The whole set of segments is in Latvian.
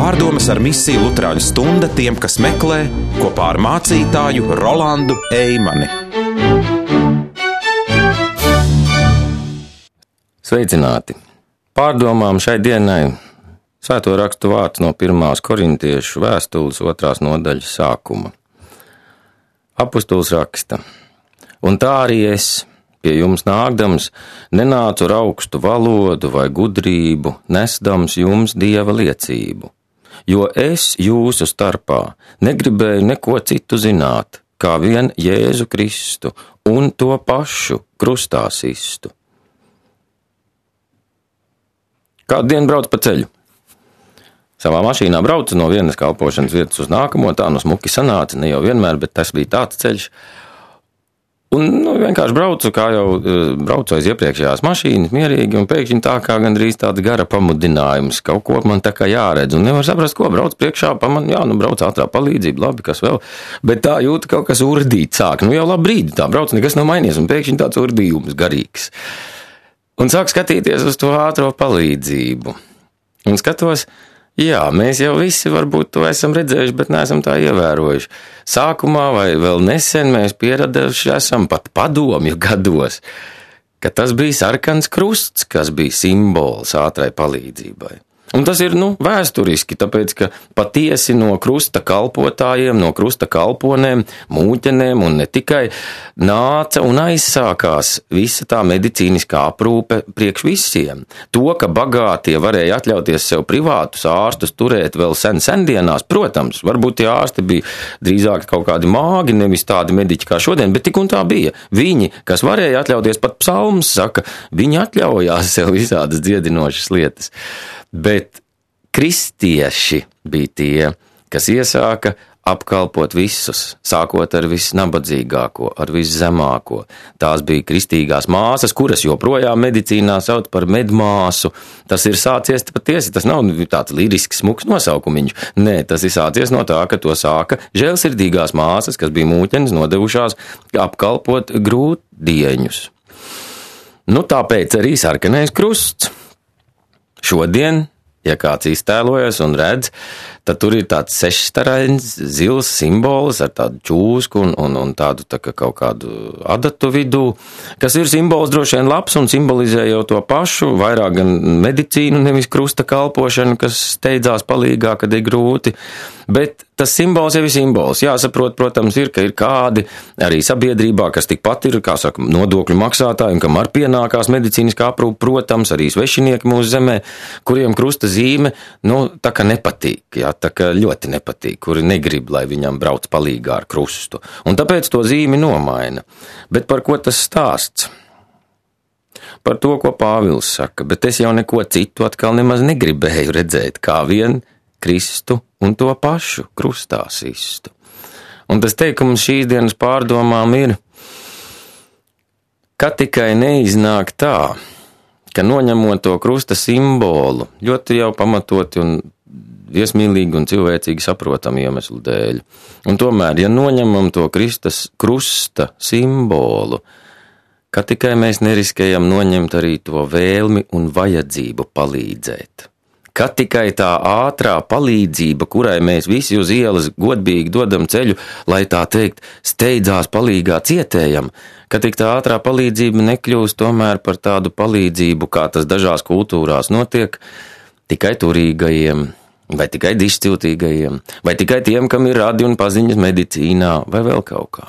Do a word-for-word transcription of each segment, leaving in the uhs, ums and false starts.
Pārdomas ar misiju Luterāņu stunda tiem, kas meklē, kopā ar mācītāju Rolandu Eimani. Sveicināti! Pārdomām šai dienai Svēto rakstu vārds no pirmās korintiešu vēstules otrās nodaļas sākuma. Apostols raksta: Un tā arī es, pie jums nākdams, nenācu ar augstu valodu vai gudrību, nesdams jums Dieva liecību, jo es jūsu starpā negribēju neko citu zināt, kā vien Jēzu Kristu un to pašu krustā sistu. Kādu dienu brauc pa ceļu? Savā mašīnā braucu no vienas kalpošanas vietas uz nākamo, tā nu smuki sanāca, ne jau vienmēr, bet tas bija tāds ceļš. Un nu, vienkārši braucu, kā jau braucu aiz iepriekšējās mašīnas, mierīgi, un pēkšņi tā kā gandrīz tāds gara pamudinājums, kaut ko man tā kā jāredz, un nevar saprast, ko brauc priekšā, paman, jā, nu brauc ātrā palīdzība, labi, kas vēl, bet tā jūta kaut kas urdīt sāk, nu jau labi brīdi tā brauc, nekas nav mainījies, un pēkšņi tāds urdījums garīgs. Un sāk skatīties uz to ātro palīdzību, un skatos, jā, mēs jau visi varbūt to esam redzējuši, bet neesam tā ievērojuši. Sākumā vai vēl nesen mēs pieraduši esam pat padomju gados, ka tas bija sarkans krusts, kas bija simbols ātrai palīdzībai. Un tas ir, nu, vēsturiski, tāpēc, ka patiesi no krusta kalpotājiem, no krusta kalponēm, mūķenēm un ne tikai nāca un aizsākās visa tā medicīniskā aprūpe priekš visiem. To, ka bagātie varēja atļauties sev privātus ārstus turēt vēl sen sendienās, protams, varbūt tie ārsti bija drīzāk kaut kādi māgi, nevis tādi mediķi kā šodien, bet tik un tā bija. Viņi, kas varēja atļauties, pat psalms saka, viņi atļaujās sev visādas dziedinošas lietas. Bet kristieši bija tie, kas iesāka apkalpot visus, sākot ar visnabadzīgāko, ar viszemāko. Tās bija kristīgās māsas, kuras joprojām medicīnā sauc par medmāsu. Tas ir sācies patiesi, tas nav tāds lirisks smuks nosaukumiņš. Nē, tas ir sācies no tā, ka to sāka žēlsirdīgās māsas, kas bija mūķenes nodevušās apkalpot grūtdieņus. Nu, tāpēc arī sarkanais krusts. Šodien, ja kāds iztēlojas un redz, tad tur ir tāds sešstarains, zils simbols ar tādu čūsku un, un, un tādu tā kā kaut kādu adatu vidū, kas ir simbols droši vien labs un simbolizē jau to pašu, vairāk gan medicīnu, nevis krusta kalpošanu, kas steidzās palīgā, kad ir grūti. Bet tas simbols jau ir simbols. Jāsaprot, protams, ir, ka ir kādi arī sabiedrībā, kas tikpat ir, kā saka, nodokļu maksātāji, un kam ar pienākās medicīniskā aprūpe, protams, arī svešinieki mūsu zemē, kuriem krusta zīme, nu, tā kā nepatīk, jā, tā kā ļoti nepatīk, kuri negrib, lai viņam brauc palīgā ar krustu. Un tāpēc to zīmi nomaina. Bet par ko tas stāsts? Par to, ko Pāvils saka, bet es jau neko citu atkal nemaz negribēju redzēt, kā vien Kristu un to pašu krustā sistu. Un tas teikums šīs dienas pārdomām ir, ka tikai neiznāk tā, ka noņemot to krusta simbolu, ļoti jau pamatoti un viesmīlīgi un cilvēcīgi saprotam iemeslu dēļ. Un tomēr, ja noņemam to Kristus krusta simbolu, ka tikai mēs neriskējam noņemt arī to vēlmi un vajadzību palīdzēt. Ka tikai tā ātrā palīdzība, kurai mēs visi uz ielas godīgi dodam ceļu, lai tā teikt, steidzās palīgā cietējam, ka tik tā ātrā palīdzība nekļūst tomēr par tādu palīdzību, kā tas dažās kultūrās notiek, tikai turīgajiem, vai tikai dišciltīgajiem, vai tikai tiem, kam ir radi un paziņas medicīnā, vai vēl kaut kā.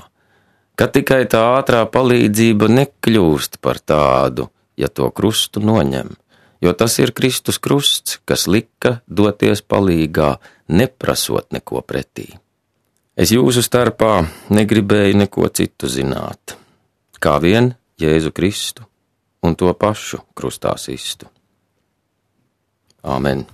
Ka tikai tā ātrā palīdzība nekļūst par tādu, ja to krustu noņem. Jo tas ir Kristus krusts, kas lika doties palīgā, neprasot neko pretī. Es jūsu starpā negribēju neko citu zināt, kā vien Jēzu Kristu un to pašu krustā sistu. Āmen.